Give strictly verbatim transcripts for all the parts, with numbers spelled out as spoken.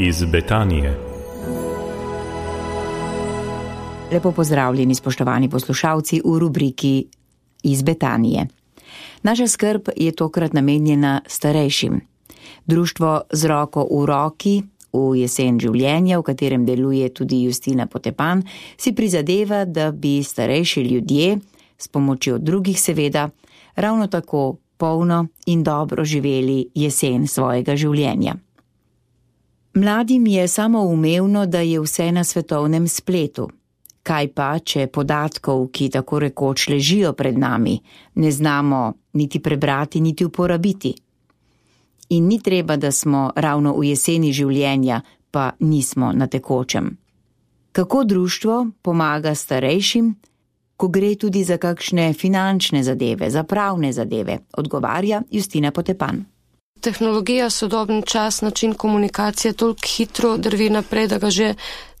iz Betanije. Lepo pozdravljeni, spoštovani poslušalci, v rubriki Iz Betanije. Naša skrb je tokrat namenjena starejšim. Društvo Z roko v roki v jesen življenja, v katerem deluje tudi Justina Potepan, si prizadeva, da bi starejši ljudje, s pomočjo drugih seveda, ravno tako polno in dobro živeli jesen svojega življenja. Mladim je samoumevno, da je vse na svetovnem spletu. Kaj pa, če podatkov, ki tako rekoč ležijo pred nami, ne znamo niti prebrati, niti uporabiti? In ni treba, da smo ravno v jeseni življenja, pa nismo na tekočem. Kako društvo pomaga starejšim, ko gre tudi za kakšne finančne zadeve, za pravne zadeve, odgovarja Justina Potepan. Tehnologija, sodobni čas, način komunikacije toliko hitro drvi naprej, da ga že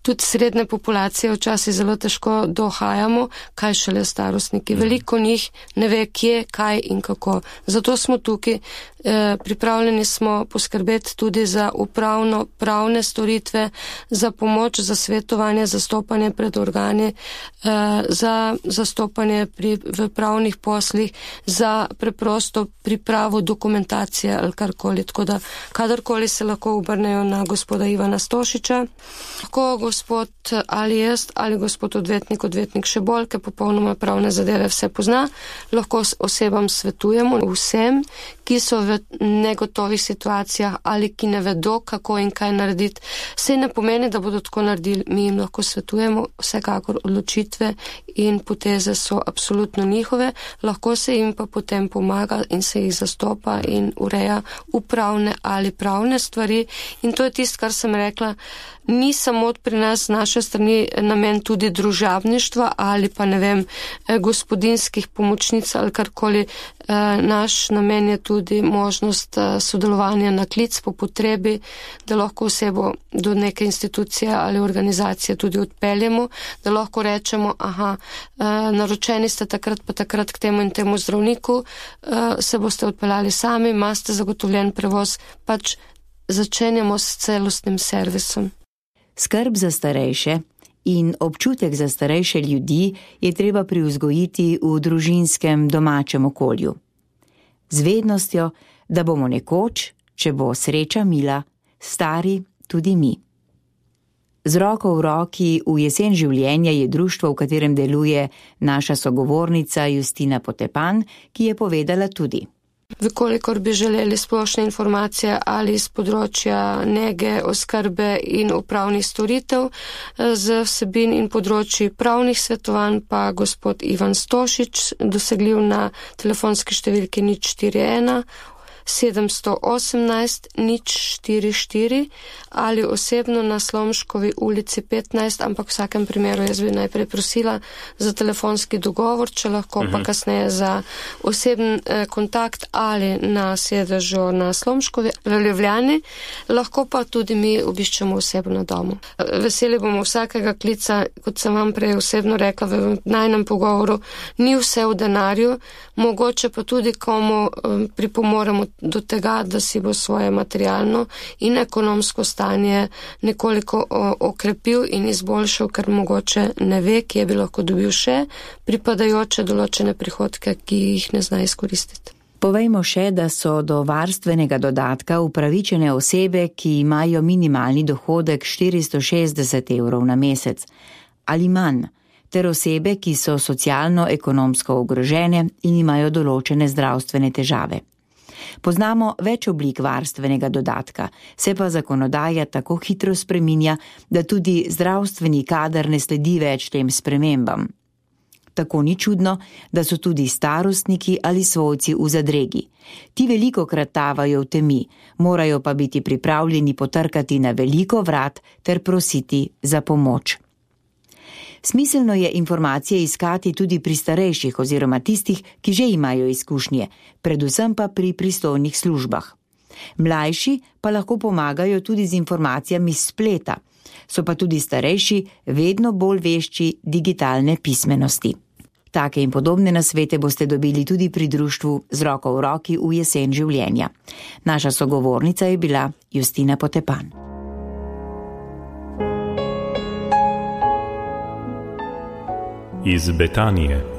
tudi srednje populacije včasih zelo težko dohajamo, kaj šele starostniki. Veliko njih ne ve, kje, kaj in kako. Zato smo tukaj, eh, pripravljeni smo poskrbeti tudi za upravno pravne storitve, za pomoč, za svetovanje, zastopanje pred organi, eh, za zastopanje pri, v pravnih poslih, za preprosto pripravo dokumentacije ali karkoli. Tako da kadarkoli se lahko obrnejo na gospoda Ivana Stošiča, lahko gospod ali jaz, ali gospod odvetnik, odvetnik še bolj, ki popolnoma pravne zadeve vse pozna, lahko osebam svetujemo, vsem, ki so v negotovih situacijah ali ki ne vedo, kako in kaj narediti. Sej ne pomeni, da bodo tako naredili, mi jim lahko svetujemo, vsekakor odločitve in poteze so absolutno njihove, lahko se jim pa potem pomaga in se jih zastopa in ureja upravne ali pravne stvari. In to je tisto, kar sem rekla, ni samo pri nas z naše strani namen tudi družabništva ali pa ne vem, gospodinskih pomočnic ali karkoli. Naš namen je tudi možnost sodelovanja na klic po potrebi, da lahko osebo do neke institucije ali organizacije tudi odpeljemo, da lahko rečemo, aha, naročeni ste takrat pa takrat k temu in temu zdravniku, se boste odpeljali sami, imate zagotovljen prevoz, pač začenjamo s celostnim servisom. Skrb za starejše in občutek za starejše ljudi je treba privzgojiti v družinskem domačem okolju. Z vednostjo, da bomo nekoč, če bo sreča mila, stari tudi mi. Z roko v roki v jesen življenja je društvo, v katerem deluje naša sogovornica Justina Potepan, ki je povedala tudi. Vkolikor bi želeli splošne informacije ali z področja nege, oskrbe in upravnih storitev z vsebin in področji pravnih svetovanj, pa gospod Ivan Stošič, dosegljiv na telefonski številki nič štiri ena sedem osemnajst nič štiri štiri ali osebno na Slomškovi ulici petnajst, ampak v vsakem primeru jaz bi najprej prosila za telefonski dogovor, če lahko uh-huh. pa kasneje za osebni eh, kontakt ali na sedežu na Slomškovi v Ljubljani, lahko pa tudi mi obiščemo osebno na domu. Veseli bomo vsakega klica, kot sem vam prej osebno rekla v najnem pogovoru, ni vse v denarju, mogoče pa tudi komu eh, pripomoremo do tega, da si bo svoje materialno in ekonomsko stanje nekoliko okrepil in izboljšal, ker mogoče ne ve, kje bi lahko dobil še pripadajoče določene prihodke, ki jih ne zna izkoristiti. Povejmo še, da so do varstvenega dodatka upravičene osebe, ki imajo minimalni dohodek štiristo šestdeset evrov na mesec ali manj, ter osebe, ki so socialno-ekonomsko ogrožene in imajo določene zdravstvene težave. Poznamo več oblik varstvenega dodatka, se pa zakonodaja tako hitro spreminja, da tudi zdravstveni kader ne sledi več tem spremembam. Tako ni čudno, da so tudi starostniki ali svojci v zadregi. Ti veliko krat tavajo v temi, morajo pa biti pripravljeni potrkati na veliko vrat ter prositi za pomoč. Smiselno je informacije iskati tudi pri starejših oziroma tistih, ki že imajo izkušnje, predvsem pa pri pristojnih službah. Mlajši pa lahko pomagajo tudi z informacijami s spleta, so pa tudi starejši vedno bolj vešči digitalne pismenosti. Take in podobne nasvete boste dobili tudi pri društvu Z roko v roki v jesen življenja. Naša sogovornica je bila Justina Potepan. iz Betanije.